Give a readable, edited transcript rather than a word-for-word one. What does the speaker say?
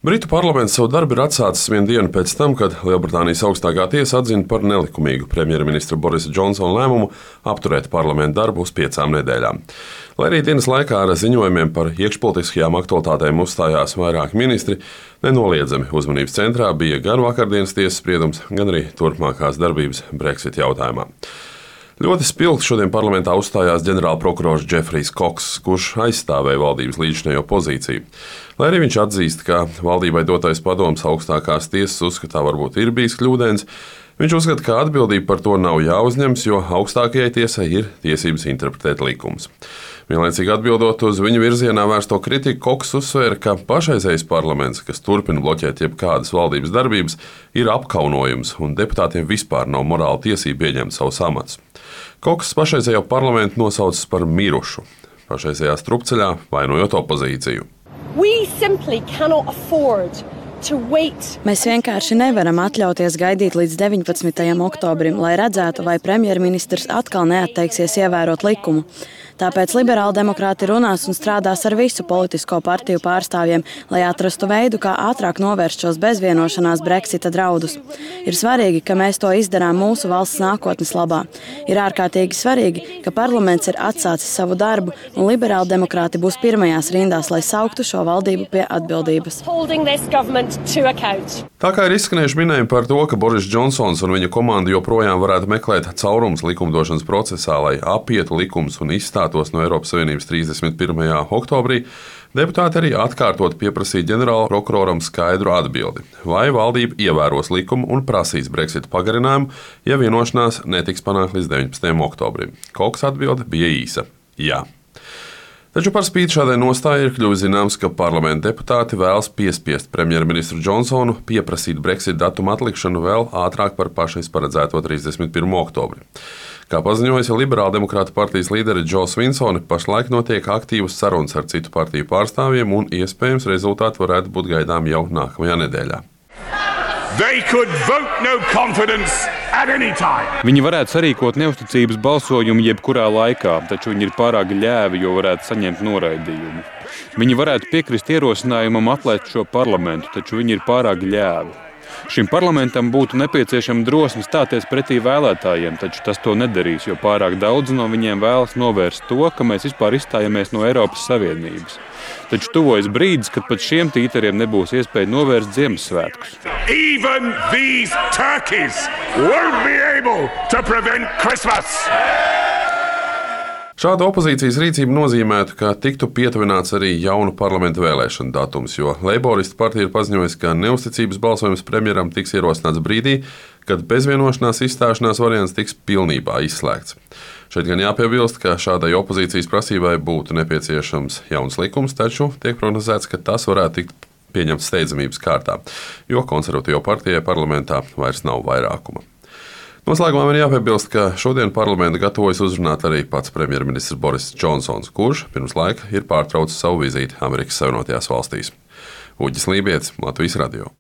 Britu parlaments savu darbu ir atsācis vienu dienu pēc tam, kad Lielbritānijas augstākā tiesa atzina par nelikumīgu premjerministra Borisa Džonsona lēmumu apturēt parlamenta darbu uz 5 nedēļām. Lai arī dienas laikā ar ziņojumiem par iekšpolitiskajām aktualitātēm uzstājās vairāki ministri, nenoliedzami uzmanības centrā bija gan vakardienas tiesas spriedums, gan arī turpmākās darbības Brexit jautājumā. Ļoti spilgti šodien parlamentā uzstājās ģenerālprokurors Džefrijs Kokss, kurš aizstāvēja valdības līdzinējo pozīciju. Lai arī viņš atzīst, ka valdībai dotais padoms augstākās tiesas uzskatā varbūt ir bijis kļūdains, viņš uzskata, ka atbildība par to nav jāuzņems, jo augstākajai tiesai ir tiesības interpretēt likumus. Vienlaicīgi atbildot uz viņu virzienā vērsto kritiku, Kokss uzsvēra, ka pašreizējais parlaments, kas turpina bloķēt jebkādas valdības darbības, ir apkaunojums un deputātiem vispār nav morāla tiesība ieņemt savus amatus. Kokss pašreizējo parlamentu nosaucis par mirušu, pašreizējā strupceļā vainojot opozīciju. Mēs vienkārši nevaram atļauties gaidīt līdz 19. oktobrim, lai redzētu, vai premjerministrs atkal neatteiksies ievērot likumu. Tāpēc liberāldemokrāti runās un strādās ar visu politisko partiju pārstāvjiem, lai atrastu veidu, kā ātrāk novērst šos bezvienošanās Brexita draudus. Ir svarīgi, ka mēs to izdarām mūsu valsts nākotnes labā. Ir ārkārtīgi svarīgi, ka parlaments ir atsācis savu darbu un liberāldemokrāti būs pirmajās rindās, lai sauktu šo valdību pie atbildības. Tā kā ir izskanējuši minējumi par to, ka Boris Džonsons un viņa komanda joprojām varētu meklēt caurumus likumdošanas procesā, lai apietu likumus un izstātos no Eiropas Savienības 31. oktobrī, deputāti arī atkārtot pieprasīja ģenerālprokuroram skaidru atbildi, vai valdība ievēros likumu un prasīs Brexit pagarinājumu, ja vienošanās netiks panākt līdz 19. oktobrim. Kokss atbilde bija īsa – jā. Taču par spīti šādai nostājai ir kļuvis zināms, ka parlamenta deputāti vēlas piespiest premjerministru Džonsonu pieprasīt Brexit datumu atlikšanu vēl ātrāk par pašais paredzēto 31. oktobri. Kā paziņoja Liberāldemokrātu partijas līderi Džo Svinsone, pašlaik notiek aktīvas sarunas ar citu partiju pārstāvjiem un iespējams rezultāti varētu būt gaidām jau nākamajā nedēļā. Viņi varētu sarīkot neusticības balsojumu jebkurā laikā, taču viņi ir pārāk ļēvi, jo varētu saņemt noraidījumu. Viņi varētu piekrist ierosinājumam atlaist šo parlamentu, taču viņi ir pārāk ļēvi. Šim parlamentam būtu nepieciešama drosme stāties pretī vēlētājiem, taču tas to nedarīs, jo pārāk daudz no viņiem vēlas novērst to, ka mēs vispār izstājamies no Eiropas Savienības. Taču tuvojas brīdis, kad pat šiem tīteriem nebūs iespēja novērst Ziemassvētkus. Even these turkeys won't be able to prevent Christmas. Šāda opozīcijas rīcība nozīmētu, ka tiktu pietuvināts arī jaunu parlamenta vēlēšanu datums, jo Leiboristu partija ir paziņojusi, ka neusticības balsojums premjeram tiks ierosināts brīdī, kad bezvienošanās izstāšanās variants tiks pilnībā izslēgts. Šeit gan jāpiebilst, ka šādai opozīcijas prasībai būtu nepieciešams jauns likums, taču tiek prognozēts, ka tas varētu tikt pieņemts steidzamības kārtā, jo konservatīvo partijai parlamentā vairs nav vairākuma. Noslēgumā man jāpiebilst, ka šodien parlamentu gatavojas uzrunāt arī pats premjerministrs Boris Džonsons, kurš pirms laika ir pārtraucis savu vizīti Amerikas Savienotajās valstīs. Uģis Lībietis, Latvijas radio.